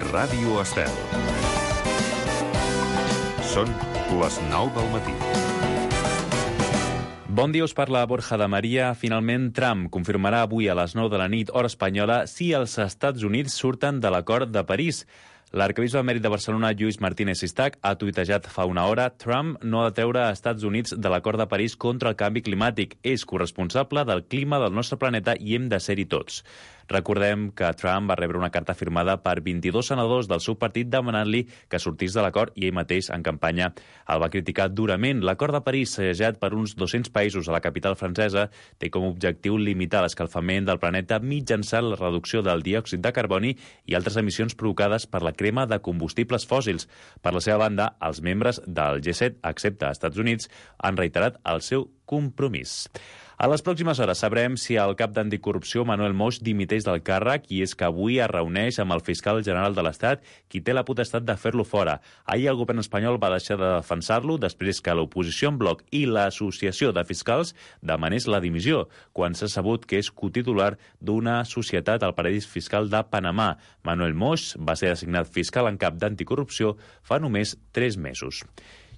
Ràdio Estel. Són les 9 del matí. Bon dia, us parla Borja de Maria. Finalment, Trump confirmarà avui a les 9 de la nit, hora espanyola, si els Estats Units surten de l'acord de París. L'arquebisbe emèrit de Barcelona, Lluís Martínez Sistac, ha tuitejat fa una hora: Trump no ha de treure a Estats Units de l'acord de París contra el canvi climàtic. És corresponsable del clima del nostre planeta i hem de ser-hi tots. Recordem que Trump va rebre una carta firmada per 22 senadors del seu partit demanant-li que sortís de l'acord i ell mateix, en campanya, el va criticar durament. L'acord de París, segellat per uns 200 països a la capital francesa, té com a objectiu limitar l'escalfament del planeta mitjançant la reducció del diòxid de carboni i altres emissions provocades per la crema de combustibles fòssils. Per la seva banda, els membres del G7, excepte als Estats Units, han reiterat el seu compromís. A les pròximes hores sabrem si el cap d'anticorrupció, Manuel Moix, dimiteix del càrrec, i és que avui es reuneix amb el fiscal general de l'Estat, qui té la potestat de fer-lo fora. Ahir el govern espanyol va deixar de defensar-lo després que l'oposició en bloc i l'Associació de Fiscals demanés la dimissió, quan s'ha sabut que és cotitular d'una societat al paradís fiscal de Panamà. Manuel Moix va ser designat fiscal en cap d'anticorrupció fa només 3 mesos.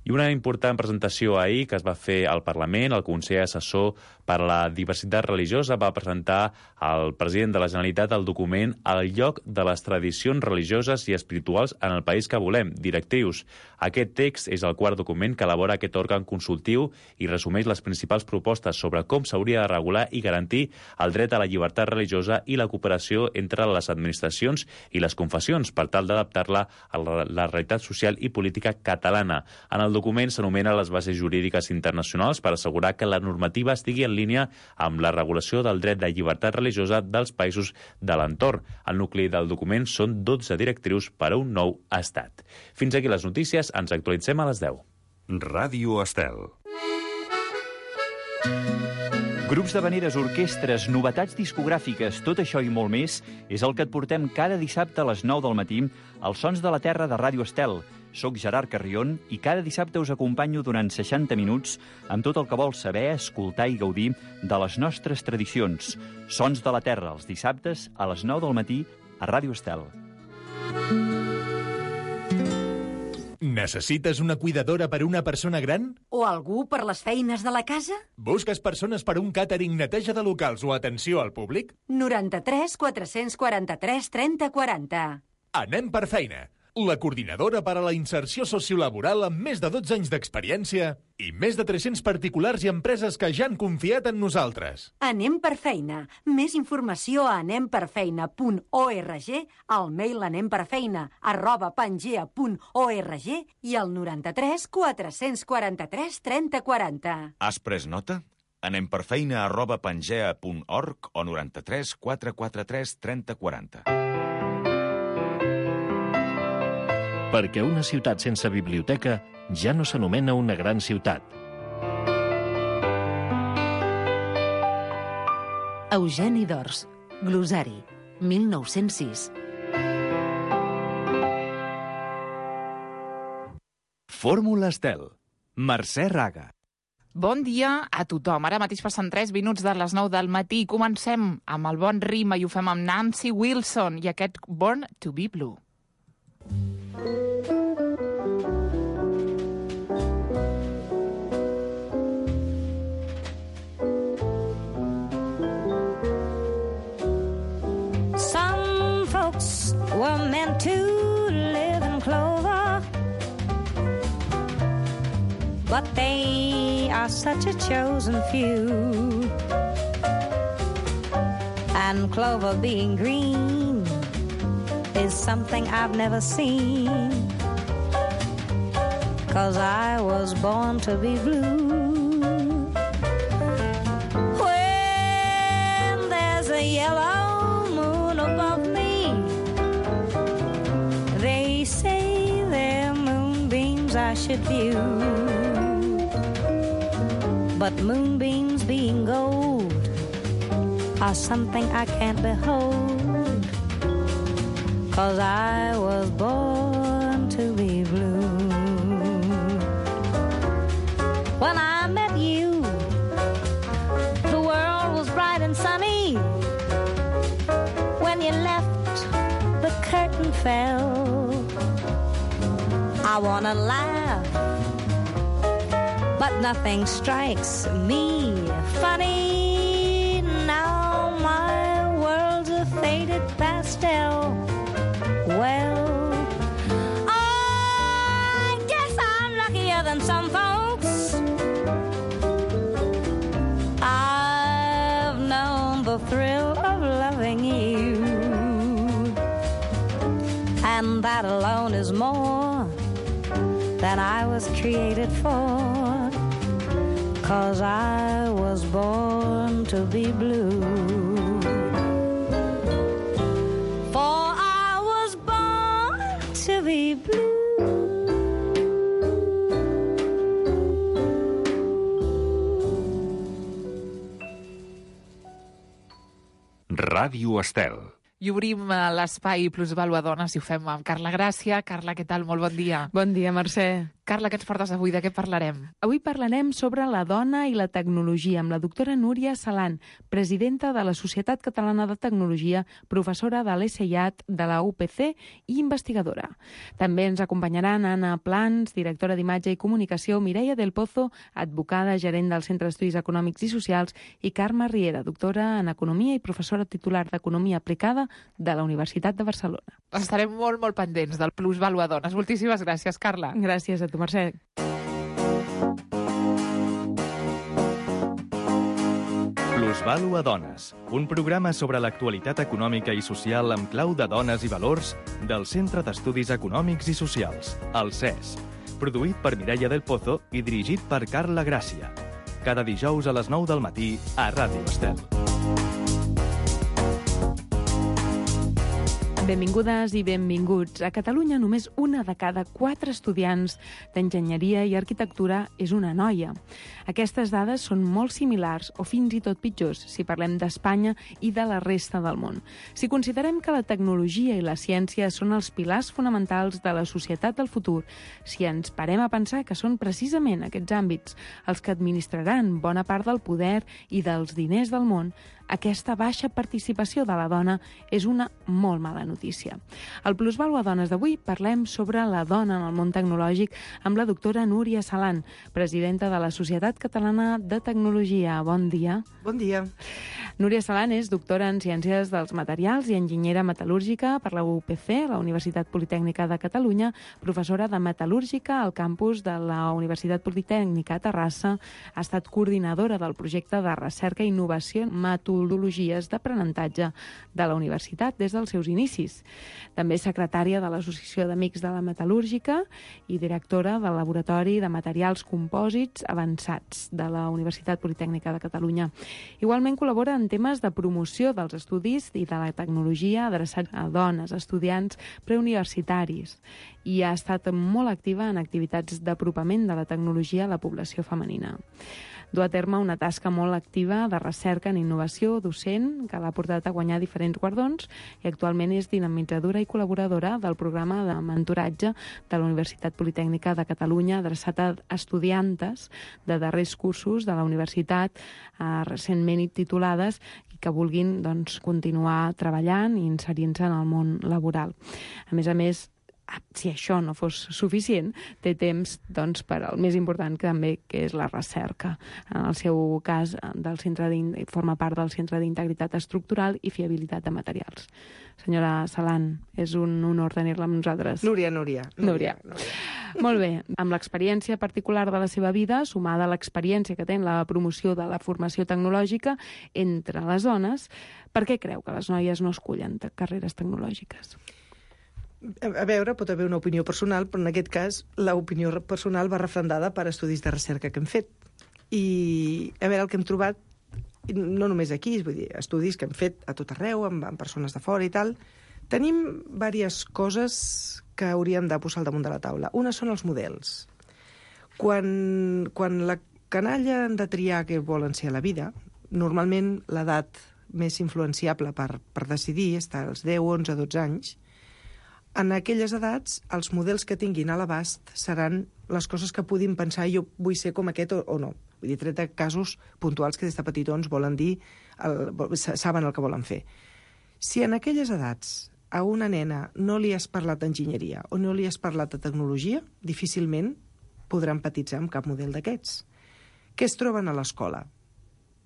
I una important presentació ahir que es va fer al Parlament. El Consell Assessor per a la Diversitat Religiosa va presentar al president de la Generalitat el document El lloc de les tradicions religioses i espirituals en el país que volem, directrius. Aquest text és el quart document que elabora aquest òrgan consultiu i resumeix les principals propostes sobre com s'hauria de regular i garantir el dret a la llibertat religiosa i la cooperació entre les administracions i les confessions per tal d'adaptar-la a la realitat social i política catalana. En el document s'anomena les bases jurídiques internacionals per assegurar que la normativa estigui en línia amb la regulació del dret de llibertat religiosa dels països de l'entorn. El nucli del document són 12 directrius per a un nou estat. Fins aquí les notícies, ens actualitzem a les 10. Ràdio Estel. Grups d'havaneres, orquestres, novetats discogràfiques, tot això i molt més és el que et portem cada dissabte a les 9 del matí als Sons de la Terra de Ràdio Estel. Soc Gerard Carrion i cada dissabte us acompanyo durant 60 minuts amb tot el que vols saber, escoltar i gaudir de les nostres tradicions. Sons de la Terra, els dissabtes a les 9 del matí a Ràdio Estel. Necessites una cuidadora per a una persona gran? O algú per les feines de la casa? Busques persones per a un càtering, neteja de locals o atenció al públic? 93 443 30 40. Anem per feina. La coordinadora per a la inserció sociolaboral amb més de 12 anys d'experiència i més de 300 particulars i empreses que ja han confiat en nosaltres. Anem per feina. Més informació a anemperfeina.org, al mail anemperfeina@pangea.org i al 93 443 30 40. Has pres nota? anemperfeina@pangea.org o 93 443 30 40. Perquè una ciutat sense biblioteca ja no s'anomena una gran ciutat. Eugeni d'Ors, Glossari, 1906. Fórmula Estel, Mercè Raga. Bon dia a tothom. Ara mateix passen 3 minuts de les 9 del matí. Comencem amb el bon ritme i ho fem amb Nancy Wilson i aquest Born to be Blue. Some folks were meant to live in clover, but they are such a chosen few. And clover being green is something I've never seen, 'cause I was born to be blue. When there's a yellow moon above me, they say they're moonbeams I should view, but moonbeams being gold are something I can't behold, 'cause I was born to be blue. When I met you, the world was bright and sunny. When you left, the curtain fell. I wanna laugh, but nothing strikes me funny. Now my world's a faded pastel. Well, I guess I'm luckier than some folks. I've known the thrill of loving you, and that alone is more than I was created for, 'cause I was born to be blue. For I was born to be blue. Ràdio Estel. I obrim l'espai Plusvàlua Dones i ho fem amb Carla Gràcia. Carla, què tal? Molt bon dia. Bon dia, Mercè. Carla, què ens portes avui? De què parlarem? Avui parlarem sobre la dona i la tecnologia amb la doctora Núria Salan, presidenta de la Societat Catalana de Tecnologia, professora de l'ESEIAT, de la UPC i investigadora. També ens acompanyaran Anna Plans, directora d'imatge i comunicació, Mireia del Pozo, advocada, gerent del Centre d'Estudis Econòmics i Socials, i Carme Riera, doctora en Economia i professora titular d'Economia Aplicada de la Universitat de Barcelona. Estarem molt pendents del Plusvàlua Dones. Moltíssimes gràcies, Carla. Gràcies a tu, Mercè. Plusvàlua Dones, un programa sobre l'actualitat econòmica i social amb clau de dones i valors del Centre d'Estudis Econòmics i Socials, el CES. Produït per Mireia del Pozo i dirigit per Carla Gràcia. Cada dijous a les 9 del matí a Ràdio Estel. Benvingudes i benvinguts. A Catalunya només una de cada 4 estudiants d'enginyeria i arquitectura és una noia. Aquestes dades són molt similars o fins i tot pitjors si parlem d'Espanya i de la resta del món. Si considerem que la tecnologia i la ciència són els pilars fonamentals de la societat del futur, si ens parem a pensar que són precisament aquests àmbits els que administraran bona part del poder i dels diners del món, aquesta baixa participació de la dona és una molt mala notícia. Al Plusvàlua Dones d'avui parlem sobre la dona en el món tecnològic amb la doctora Núria Salan, presidenta de la Societat Catalana de Tecnologia. Bon dia. Bon dia. Núria Salan és doctora en Ciències dels Materials i enginyera metal·lúrgica per la UPC, la Universitat Politècnica de Catalunya, professora de metal·lúrgica al campus de la Universitat Politècnica a Terrassa, ha estat coordinadora del projecte de recerca i innovació en metodologies d'aprenentatge de la universitat des dels seus inicis. També és secretària de l'Associació d'Amics de la Metal·lúrgica i directora del Laboratori de Materials Compòsits Avançats de la Universitat Politècnica de Catalunya. Igualment col·labora en temes de promoció dels estudis i de la tecnologia adreçats a dones, estudiants preuniversitaris, i ha estat molt activa en activitats d'apropament de la tecnologia a la població femenina. Du a terme una tasca molt activa de recerca en innovació docent que l'ha portat a guanyar diferents guardons i actualment és dinamitzadora i col·laboradora del programa de mentoratge de la Universitat Politècnica de Catalunya adreçat a estudiantes de darrers cursos de la universitat recentment titulades i que vulguin continuar treballant i inserint-se en el món laboral. A més, si això no fos suficient, té temps per al més important també, que és la recerca. En el seu cas, forma part del Centre d'Integritat Estructural i Fiabilitat de Materials. Senyora Salan, és un honor tenir-la amb nosaltres. Núria. Molt bé. Amb l'experiència particular de la seva vida, sumada a l'experiència que té en la promoció de la formació tecnològica entre les dones, per què creu que les noies no escullen carreres tecnològiques? A veure, pot haver una opinió personal, però en aquest cas l'opinió personal va refrendada per estudis de recerca que hem fet. I a veure, el que hem trobat, no només aquí, vull dir, estudis que hem fet a tot arreu, amb persones de fora i tal, tenim diverses coses que hauríem de posar al damunt de la taula. Una són els models. Quan la canalla han de triar què volen ser a la vida, normalment l'edat més influenciable per decidir està als 10, 11, 12 anys. En aquelles edats, els models que tinguin a l'abast seran les coses que puguin pensar jo vull ser com aquest o no. Vull dir, tret de casos puntuals que des de petitons volen dir, saben el que volen fer. Si en aquelles edats a una nena no li has parlat d'enginyeria o no li has parlat de tecnologia, difícilment podrà empatitzar amb cap model d'aquests. Què es troben a l'escola?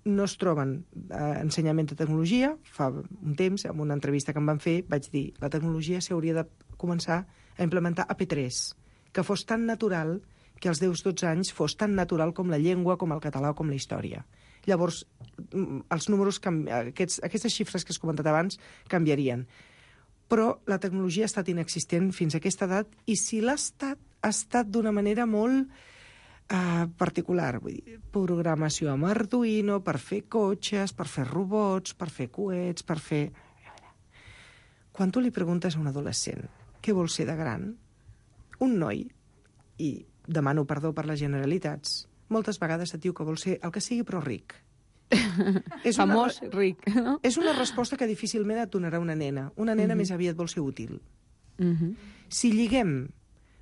No es troben ensenyament de tecnologia. Fa un temps, en una entrevista que em van fer, vaig dir la tecnologia s'hauria de començar a implementar a P3, que fos tan natural que als 10-12 anys fos tan natural com la llengua, com el català o com la història. Llavors, els números, aquestes xifres que has comentat abans, canviarien. Però la tecnologia ha estat inexistent fins a aquesta edat i si l'ha estat, ha estat d'una manera molt particular. Vull dir, programació amb Arduino per fer cotxes, per fer robots, per fer coets, per fer... Quan tu li preguntes a un adolescent què vol ser de gran, un noi, i demano perdó per les generalitats, moltes vegades et diu que vol ser el que sigui però ric. Famós, ric. No? És una resposta que difícilment et donarà una nena. Una nena més aviat vol ser útil. Si lliguem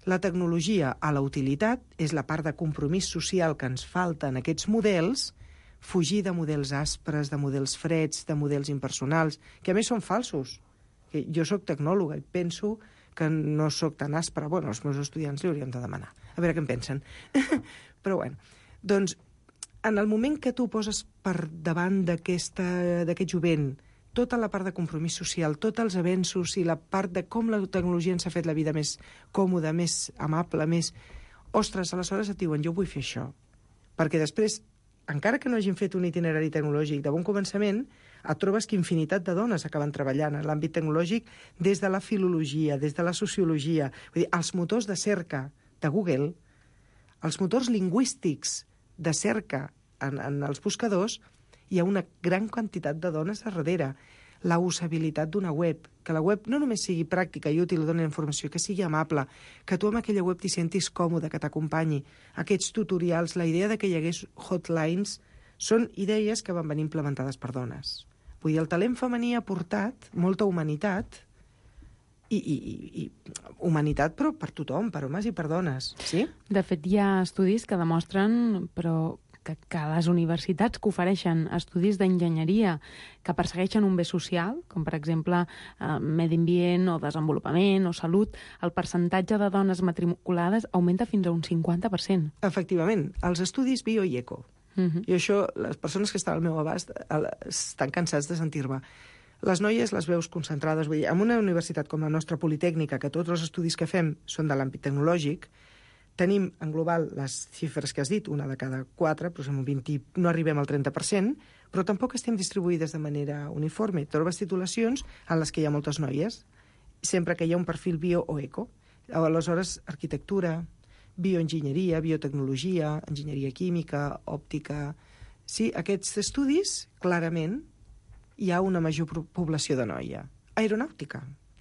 la tecnologia a la utilitat, és la part de compromís social que ens falta en aquests models, fugir de models aspres, de models freds, de models impersonals, que a més són falsos. Jo sóc tecnòloga i penso que no sóc tan aspra. Bueno, els meus estudiants li hauríem de demanar. A veure què en pensen. Però bueno, doncs, en el moment que tu poses per davant d'aquest jovent tota la part de compromís social, tots els avenços i la part de com la tecnologia ens ha fet la vida més còmoda, més amable, més... Ostres, aleshores et diuen, jo vull fer això. Perquè després, encara que no hagin fet un itinerari tecnològic de bon començament, et trobes que infinitat de dones acaben treballant en l'àmbit tecnològic des de la filologia, des de la sociologia. Vull dir, els motors de cerca de Google, els motors lingüístics de cerca en els buscadors, hi ha una gran quantitat de dones a darrere. La usabilitat d'una web, que la web no només sigui pràctica i útil, doni informació, que sigui amable, que tu amb aquella web t'hi sentis còmode, que t'acompanyi. Aquests tutorials, la idea de que hi hagués hotlines, són idees que van venir implementades per dones. Vull dir, el talent femení ha portat molta humanitat, i humanitat però per tothom, per homes i per dones. Sí? De fet, hi ha estudis que demostren que les universitats que ofereixen estudis d'enginyeria que persegueixen un bé social, com per exemple medi ambient o desenvolupament o salut, el percentatge de dones matriculades augmenta fins a un 50%. Efectivament, els estudis bio i eco. I això, les persones que estan al meu abast estan cansats de sentir-me. Les noies les veus concentrades. Vull dir, en una universitat com la nostra Politècnica, que tots els estudis que fem són de l'àmbit tecnològic, tenim en global les xifres que has dit, una de cada 4, però som un 20, no arribem al 30%, però tampoc estem distribuïdes de manera uniforme. Trobes titulacions en les que hi ha moltes noies, sempre que hi ha un perfil bio o eco. Aleshores, arquitectura, bioenginyeria, biotecnologia, enginyeria química, òptica... Sí, aquests estudis, clarament, hi ha una major població de noia. Aeronàutica.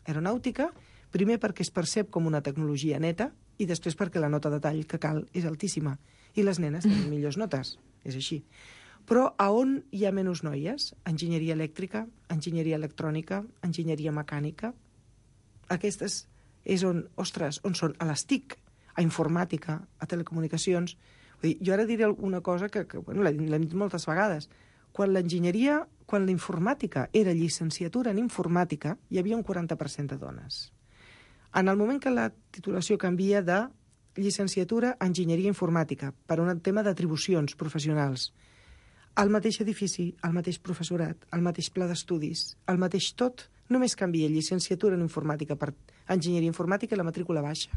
Aeronàutica, primer perquè es percep com una tecnologia neta i després perquè la nota de tall que cal és altíssima. I les nenes tenen millors notes. És així. Però a on hi ha menys noies? Enginyeria elèctrica, enginyeria electrònica, enginyeria mecànica. Aquestes és on, ostres, on són? A les TIC, a informàtica, a telecomunicacions. Vull dir, jo ara diré una cosa que bueno, l'hem dit moltes vegades. Quan la informàtica era llicenciatura en informàtica, hi havia un 40% de dones. En el moment que la titulació canvia de llicenciatura en enginyeria informàtica per un tema d'atribucions professionals, al mateix edifici, al mateix professorat, al mateix pla d'estudis, al mateix tot, només canvia llicenciatura en informàtica per enginyeria informàtica i la matrícula baixa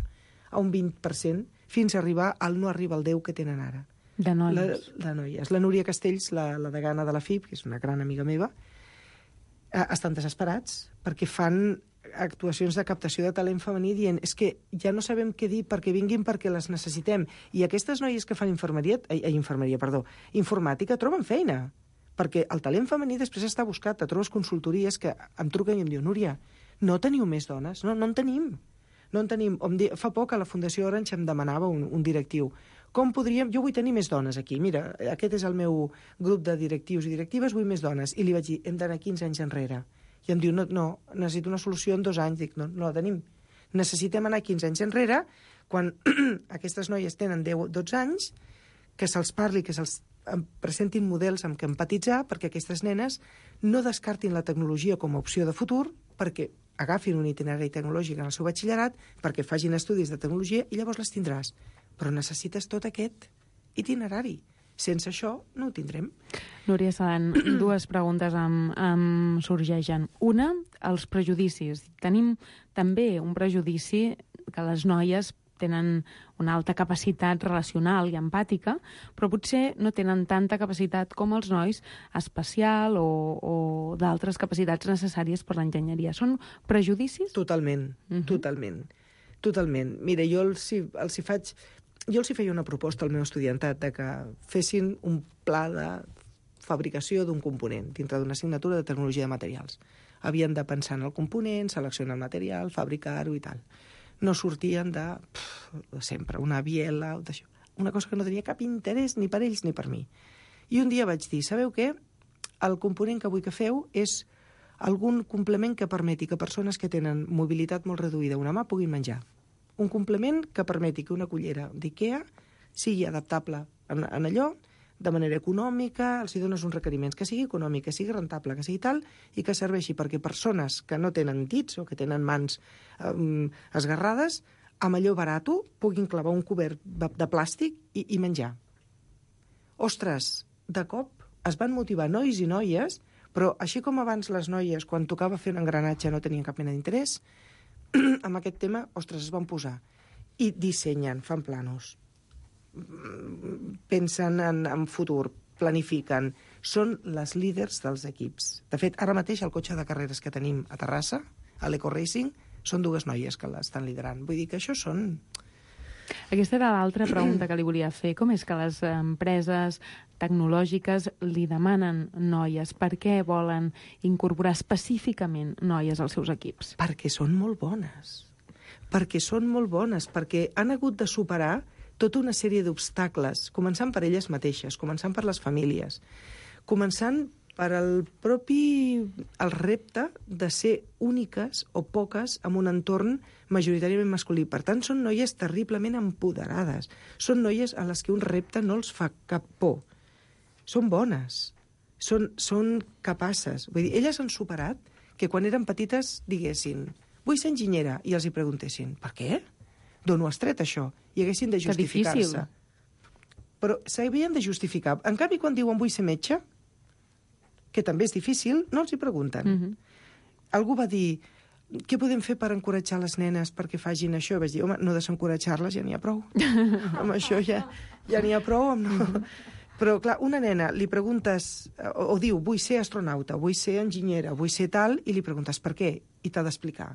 a un 20% fins a arribar al no arriba al 10 que tenen ara. De noies. De noies. La Núria Castells, la degana de la FIP, que és una gran amiga meva, estan desesperats perquè fan actuacions de captació de talent femení dient és que ja no sabem què dir perquè vinguin perquè les necessitem. I aquestes noies que fan informàtica troben feina. Perquè el talent femení després està buscat. Te trobes consultories que em truquen i em diuen Núria, no teniu més dones? No en tenim. No en tenim. Fa poc a la Fundació Orange em demanava un directiu. Com podríem... Jo vull tenir més dones aquí. Mira, aquest és el meu grup de directius i directives, vull més dones. I li vaig dir, hem d'anar 15 anys enrere. I em diu, no, necessito una solució en 2 anys. Dic, no la tenim. Necessitem anar 15 anys enrere, quan aquestes noies tenen 10-12 anys, que se'ls parli, que se'ls presentin models amb què empatitzar, perquè aquestes nenes no descartin la tecnologia com a opció de futur, perquè agafin un itinerari tecnològic en el seu batxillerat perquè facin estudis de tecnologia i llavors les tindràs. Però necessites tot aquest itinerari. Sense això no ho tindrem. Núria Salan, dues preguntes em sorgeixen. Una, els prejudicis. Tenim també un prejudici que les noies tenen una alta capacitat relacional i empàtica, però potser no tenen tanta capacitat com els nois espacial o d'altres capacitats necessàries per l'enginyeria. Són prejudicis? Totalment, totalment. Mira, jo els hi feia una proposta al meu estudiantat de que fessin un pla de fabricació d'un component dintre d'una assignatura de tecnologia de materials. Havien de pensar en el component, seleccionar el material, fabricar-ho i tal. No sortien de sempre, una biela, una cosa que no tenia cap interès ni per ells ni per mi. I un dia vaig dir, sabeu què? El component que vull que feu és algun complement que permeti que persones que tenen mobilitat molt reduïda a una mà puguin menjar. Un complement que permeti que una cullera d'IKEA sigui adaptable en allò, de manera econòmica, els hi dones uns requeriments, que sigui econòmic, que sigui rentable, que sigui tal, i que serveixi perquè persones que no tenen dits o que tenen mans esgarrades, amb allò barato puguin clavar un cobert de plàstic i menjar. Ostres, de cop es van motivar nois i noies, però així com abans les noies, quan tocava fer un engranatge, no tenien cap mena d'interès, amb aquest tema, ostres, es van posar. I dissenyen, fan planos, pensen en futur, planifiquen, són les líders dels equips. De fet, ara mateix el cotxe de carreres que tenim a Terrassa, a l'Eco Racing, són dues noies que l'estan liderant. Vull dir que això són... Aquesta era l'altra pregunta que li volia fer. Com és que les empreses tecnològiques li demanen noies? Per què volen incorporar específicament noies als seus equips? Perquè són molt bones. Perquè han hagut de superar tota una sèrie d'obstacles, començant per elles mateixes, començant per les famílies, començant per el repte de ser úniques o poques en un entorn majoritàriament masculí. Per tant, són noies terriblement empoderades. Són noies a les que un repte no els fa cap por. Són bones, són capaces. Vull dir, elles han superat que quan eren petites diguessin vull ser enginyera, i els hi preguntessin per què? D'on ho has tret, això? I haguessin de justificar-se. Però s'havien de justificar. En canvi, quan diuen vull ser metge, que també és difícil, no els hi pregunten. Algú va dir, què podem fer per encoratjar les nenes perquè facin això? I vaig dir, home, no desencoratjar-les, ja n'hi ha prou. Amb això ja n'hi ha prou. Però, clar, una nena li preguntes, o diu, vull ser astronauta, vull ser enginyera, vull ser tal, i li preguntes per què, i t'ha d'explicar.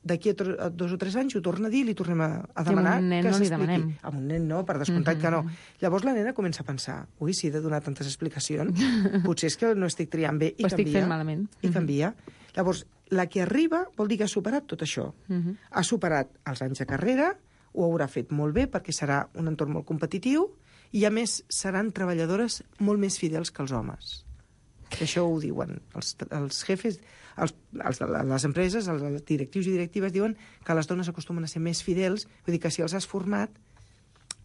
D'aquí a 2 o 3 anys ho torna a dir i li tornem a demanar que s'expliqui. A un nen no, per descomptat que no. Llavors la nena comença a pensar, ui, si he de donar tantes explicacions, potser és que no estic triant bé, i canvia. Ho estic fent malament. I canvia. Llavors, la que arriba vol dir que ha superat tot això. Ha superat els anys de carrera, ho haurà fet molt bé perquè serà un entorn molt competitiu i, a més, seran treballadores molt més fidels que els homes. Això ho diuen els jefes, les empreses, els directius i directives diuen que les dones acostumen a ser més fidels, vull dir que si els has format,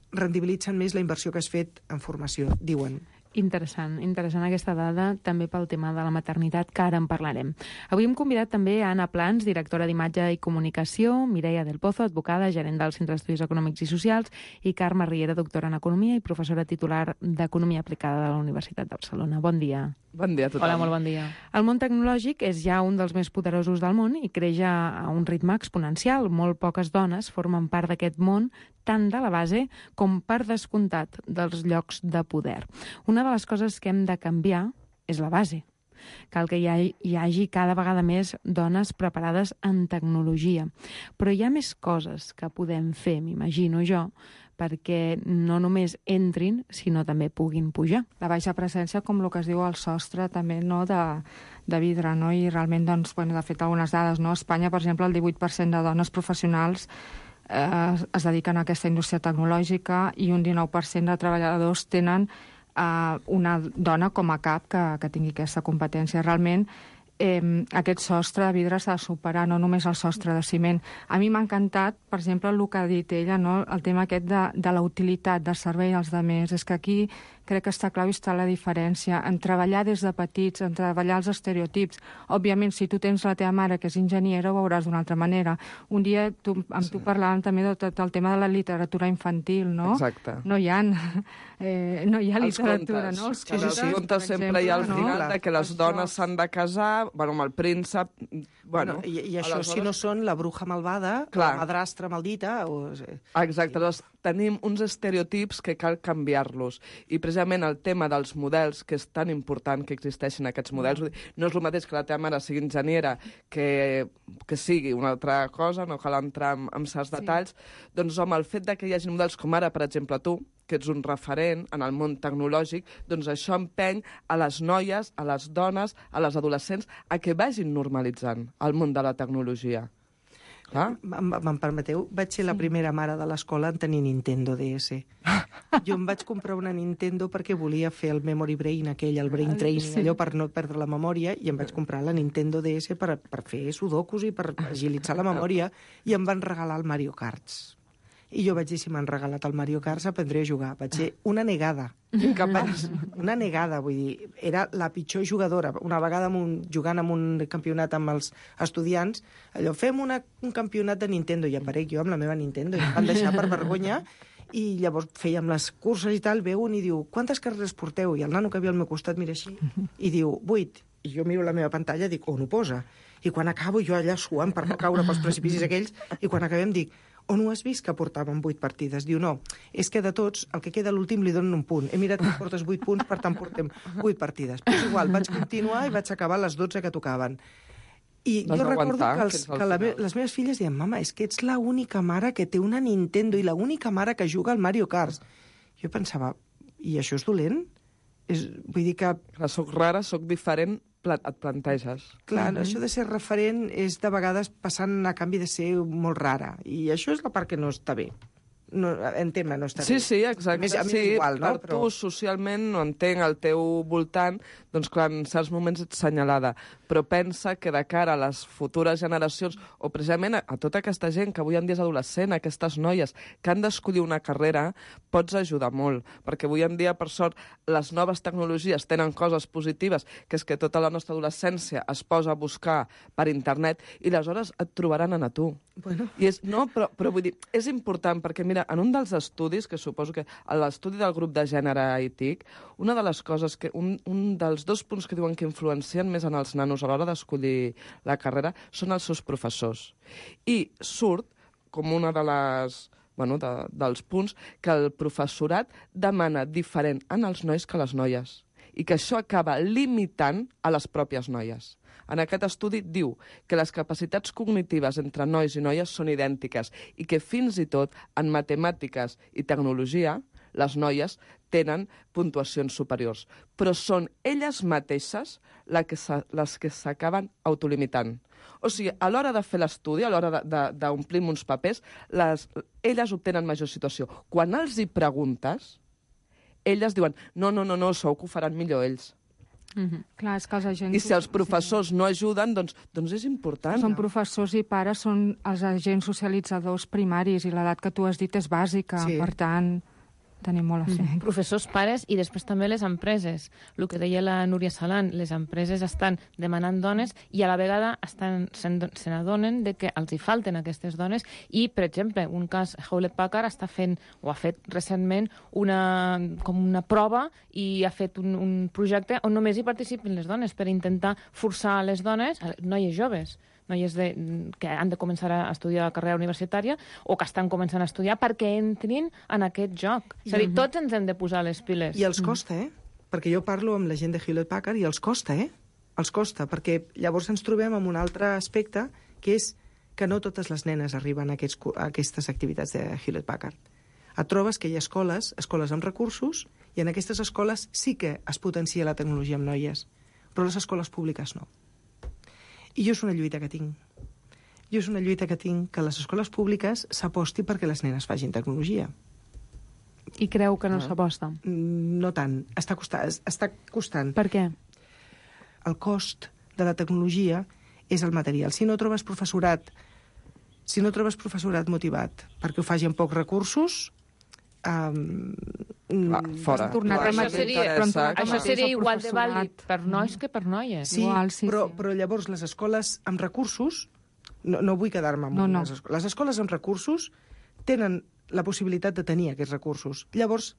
rendibilitzen més la inversió que has fet en formació, diuen. Interessant aquesta dada, també pel tema de la maternitat, que ara en parlarem. Avui hem convidat també a Anna Plans, directora d'Imatge i Comunicació, Mireia del Pozo, advocada, gerent del Centre d'Estudis Econòmics i Socials, i Carme Riera, doctora en Economia i professora titular d'Economia Aplicada de la Universitat de Barcelona. Bon dia. Bon dia a tothom. Hola, molt bon dia. El món tecnològic és ja un dels més poderosos del món i creix a un ritme exponencial. Molt poques dones formen part d'aquest món, tant de la base com, per descomptat, dels llocs de poder. Una de les coses que hem de canviar és la base. Cal que hi hagi cada vegada més dones preparades en tecnologia. Però hi ha més coses que podem fer, m'imagino jo, perquè no només entrin, sinó també puguin pujar. La baixa presència, com el que es diu el sostre, també no de vidre, no? I realment, doncs, bueno, de fet, algunes dades, no? A Espanya, per exemple, el 18% de dones professionals es dediquen a aquesta indústria tecnològica i un 19% de treballadors tenen una dona com a cap que tingui aquesta competència. Realment, aquest sostre de vidre s'ha de superar, no només el sostre de ciment. A mi m'ha encantat, per exemple, el que ha dit ella, no? El tema aquest de la utilitat del servei als altres. És que aquí crec que està clau i està la diferència en treballar des de petits, en treballar els estereotips. Òbviament, si tu tens la teva mare que és enginyera, ho veuràs d'una altra manera. Un dia tu parlàvem també de tot el tema de la literatura infantil, no? Exacte. No hi ha literatura, no? Els contes sempre hi ha al final que les dones s'han de casar, amb el príncep... I això, si no són la bruja malvada, la madrastra maldita... Exacte, doncs tenim uns estereotips que cal canviar-los. I precisament el tema dels models, que és tan important que existeixin aquests models, no és el mateix que la teva mare sigui enginyera que sigui una altra cosa, no cal entrar en certs detalls. Doncs, home, el fet que hi hagi models com ara, per exemple, tu, que ets un referent en el món tecnològic, doncs això empeny a les noies, a les dones, a les adolescents, a que vagin normalitzant el món de la tecnologia. Me'n permeteu? Vaig ser la primera mare de l'escola en tenir Nintendo DS. Jo em vaig comprar una Nintendo perquè volia fer el memory brain aquell, el brain training, allò per no perdre la memòria, i em vaig comprar la Nintendo DS per fer sudokus i per agilitzar la memòria, i em van regalar el Mario Karts. I jo vaig dir, si m'han regalat el Mario Kart, aprendré a jugar. Vaig ser una negada. Incapaç. Una negada, vull dir. Era la pitjor jugadora. Una vegada jugant en un campionat amb els estudiants, allò, fem un campionat de Nintendo, i aparec jo amb la meva Nintendo, i em van deixar per vergonya, i llavors fèiem les curses i tal, ve un i diu, quantes carreres porteu? I el nano que havia al meu costat mira així, i diu, 8. I jo miro la meva pantalla i dic, on ho posa? I quan acabo, jo allà suant per no caure pels precipicis aquells, i quan acabem dic, on ho has vist que portàvem 8 partides? Diu, no, és que de tots, el que queda l'últim li donen un punt. He mirat que portes 8 punts, per tant portem 8 partides. Però és igual, vaig continuar i vaig acabar les 12 que tocaven. I jo recordo que les meves filles deien, mama, és que ets l'única mare que té una Nintendo i l'única mare que juga al Mario Kart. Jo pensava, i això és dolent? Vull dir que... Soc rara, soc diferent, et planteges. Clar, això de ser referent és de vegades passant a canvi de ser molt rara. I això és la part que no està bé. En tema no està bé. Sí, exacte. A mi és igual, no? Per tu, socialment, no entenc al teu voltant, doncs clar, en certs moments ets senyalada. Però pensa que de cara a les futures generacions, o precisament a tota aquesta gent que avui en dia és adolescent, aquestes noies que han d'escollir una carrera, pots ajudar molt. Perquè avui en dia, per sort, les noves tecnologies tenen coses positives, que és que tota la nostra adolescència es posa a buscar per internet i aleshores et trobaran a tu. Bueno. Però vull dir, és important perquè, mira, en un dels estudis, que suposo que l'estudi del grup de gènere i TIC, una de les coses que, un dels 2 punts que diuen que influencien més en els nanos a l'hora d'escollir la carrera són els seus professors. I surt com una de les... dels punts que el professorat demana diferent en els nois que les noies i que això acaba limitant a les pròpies noies. En aquest estudi diu que les capacitats cognitives entre nois i noies són idèntiques i que fins i tot en matemàtiques i tecnologia les noies tenen puntuacions superiors. Però són elles mateixes les que s'acaben autolimitant. O sigui, a l'hora de fer l'estudi, a l'hora d'omplir uns papers, elles obtenen major situació. Quan els hi preguntes, elles diuen no, segur que ho faran millor ells. Clar, és que els agents... I si els professors no ajuden, doncs és important. Són professors i pares, són els agents socialitzadors primaris i l'edat que tu has dit és bàsica, per tant... tenim molt a fer. Professors, pares i després també les empreses. El que deia la Núria Salan, les empreses estan demanant dones i a la vegada se n'adonen que els hi falten aquestes dones i, per exemple, un cas, Hewlett Packard està fent, o ha fet recentment, com una prova i ha fet un projecte on només hi participin les dones per intentar forçar les dones, noies joves, noies que han de començar a estudiar la carrera universitària o que estan començant a estudiar perquè entrin en aquest joc. És a dir, tots ens hem de posar les piles. I els costa, Perquè jo parlo amb la gent de Hewlett Packard i els costa, Els costa, perquè llavors ens trobem amb un altre aspecte, que és que no totes les nenes arriben a aquestes activitats de Hewlett Packard. Et trobes que hi ha escoles amb recursos, i en aquestes escoles sí que es potencia la tecnologia amb noies, però les escoles públiques no. I jo és una lluita que tinc. Que a les escoles públiques s'aposti perquè les nenes facin tecnologia. I creu que no s'aposta? No tant. Està costant. Per què? El cost de la tecnologia és el material. Si no trobes professorat motivat perquè ho faci amb pocs recursos, Fora. Això seria igual de vàlid per nois que per noies. Sí, però llavors les escoles amb recursos, no vull quedar-me amb les escoles. Les escoles amb recursos tenen la possibilitat de tenir aquests recursos. Llavors,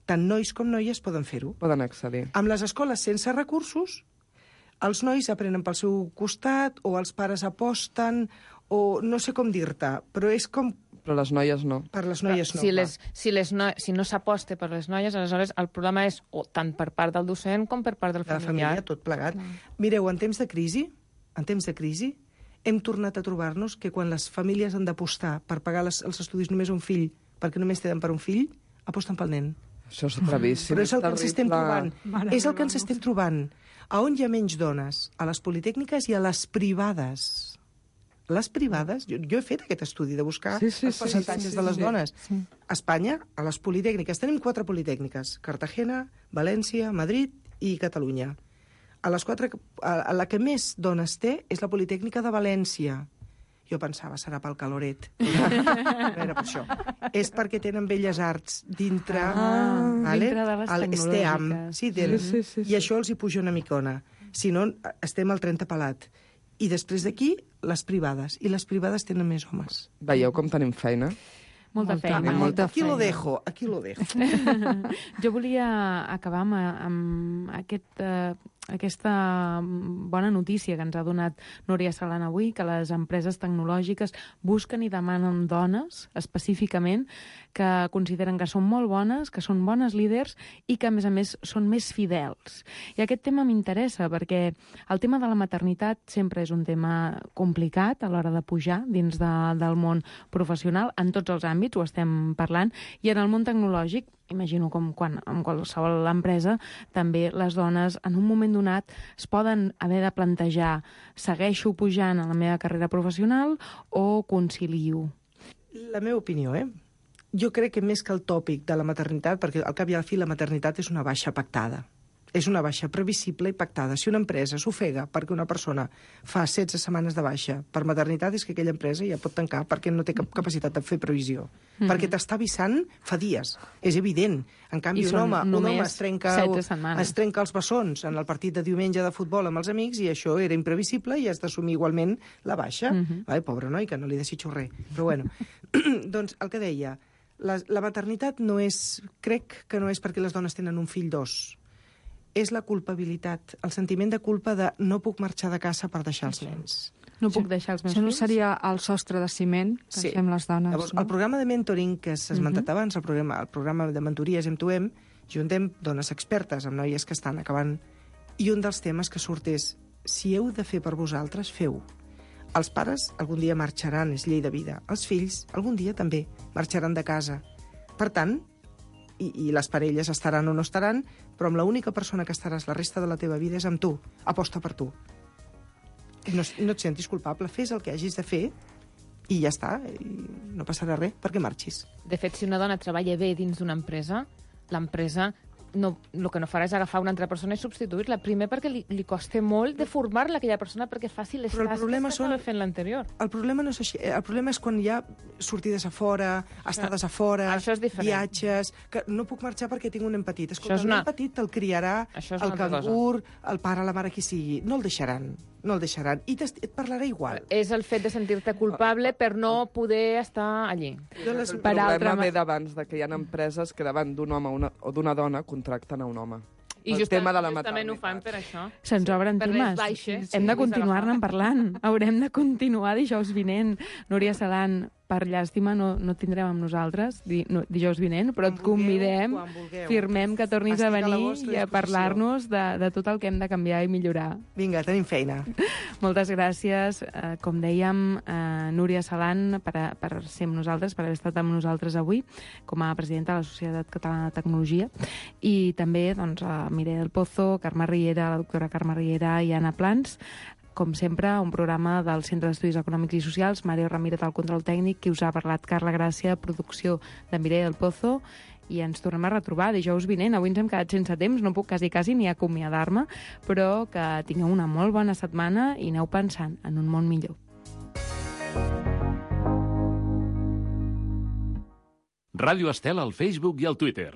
tant nois com noies poden fer-ho. Poden accedir. Amb les escoles sense recursos, els nois aprenen pel seu costat, o els pares aposten, o no sé com dir-te, però és com... Però les noies no. Per les noies no. Si no s'aposta per les noies, aleshores el problema és tant per part del docent com per part del familiar. De la família, tot plegat. Mireu, en temps de crisi, hem tornat a trobar-nos que quan les famílies han d'apostar per pagar els estudis només un fill, perquè només tenen per un fill, aposten pel nen. Això és bravíssim. Però és el que ens estem trobant. És el que ens estem trobant. A on hi ha menys dones? A les politécniques i a les privades. Les privades, jo he fet aquest estudi de buscar els percentatges de les dones. A Espanya, a les politécniques, tenim 4 politécniques: Cartagena, València, Madrid i Catalunya. A les 4, a la que més dones té és la Politécnica de València. Jo pensava, serà pel caloret. No era per això. És perquè tenen belles arts dintre... dintre de les tecnològiques. Sí. I això els hi puja una micona. Si no, estem al 30 pelat. I després d'aquí, les privades. I les privades tenen més homes. Veieu com tenim feina? Molta feina. Aquí lo dejo. Jo volia acabar amb aquesta bona notícia que ens ha donat Núria Salan avui, que les empreses tecnològiques busquen i demanen dones, específicament, que consideren que són molt bones, que són bones líders i que, a més, són més fidels. I aquest tema m'interessa perquè el tema de la maternitat sempre és un tema complicat a l'hora de pujar dins del món professional, en tots els àmbits ho estem parlant, i en el món tecnològic, imagino com quan en qualsevol empresa, també les dones en un moment donat es poden haver de plantejar: segueixo pujant a la meva carrera professional o concilio? La meva opinió, jo crec que més que el tòpic de la maternitat, perquè al cap i a la fi la maternitat és una baixa pactada. És una baixa previsible i pactada. Si una empresa s'ofega perquè una persona fa 16 setmanes de baixa per maternitat, és que aquella empresa ja pot tancar perquè no té cap capacitat de fer previsió. Perquè t'està avisant fa dies. És evident. En canvi, un home es trenca els bessons en el partit de diumenge de futbol amb els amics i això era imprevisible i has d'assumir igualment la baixa. Pobre noi, que no li desitjo res. Però bueno, doncs el que deia, la maternitat no és... Crec que no és perquè les dones tenen un fill, 2. És la culpabilitat, el sentiment de culpa de no puc marxar de casa per deixar els nens. No puc deixar els meus fills? Això no seria el sostre de ciment que fem les dones, llavors, no? El programa de mentoring que s'ha esmentat abans, el programa de mentories M2M, juntem dones expertes amb noies que estan acabant, i un dels temes que surt és: si heu de fer per vosaltres, feu. Els pares algun dia marxaran, és llei de vida. Els fills algun dia també marxaran de casa. Per tant, i les parelles estaran o no estaran, però amb l'única persona que estaràs la resta de la teva vida és amb tu. Aposta per tu. No et sentis culpable, fes el que hagis de fer i ja està, i no passarà res perquè marxis. De fet, si una dona treballa bé dins d'una empresa, l'empresa el que no farà és agafar una altra persona i substituir-la. Primer perquè li costa molt de formar-la aquella persona perquè faci les tasques que estava fent l'anterior. El problema no és així. El problema és quan hi ha sortides a fora, estades a fora, viatges... Que no puc marxar perquè tinc un nen petit. Escolta, el nen petit te'l criarà el cangur, el pare, la mare, qui sigui. No el deixaran. I et parlarà igual. És el fet de sentir-te culpable per no poder estar allí. El problema ve d'abans, que hi ha empreses que davant d'un home o d'una dona contracten a un home. I justament ho fan per això. Se'ns obren temes. Hem de continuar-ne parlant. Haurem de continuar dijous vinent. Núria Salan, per llàstima, no tindrem amb nosaltres dijous vinent, però et convidem, firmem que tornis a venir i a parlar-nos de tot el que hem de canviar i millorar. Vinga, tenim feina. Moltes gràcies, com dèiem, Núria Salan, per ser amb nosaltres, per haver estat amb nosaltres avui, com a presidenta de la Societat Catalana de Tecnologia, i també a Mireia del Pozo, Carme Riera, la doctora Carme Riera i Anna Plans. Com sempre, un programa del Centre d'Estudis Econòmics i Socials, Mario Ramírez al control tècnic, qui us ha parlat Carla Gràcia, producció de Mireia del Pozo, i ens tornem a retrobar dijous vinent. Avui ens hem quedat sense temps, no puc quasi ni acomiadar-me, però que tingueu una molt bona setmana i aneu pensant en un món millor. Ràdio Estel al Facebook i al Twitter.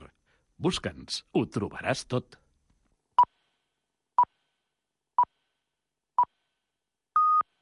Busca'ns, ho trobaràs tot.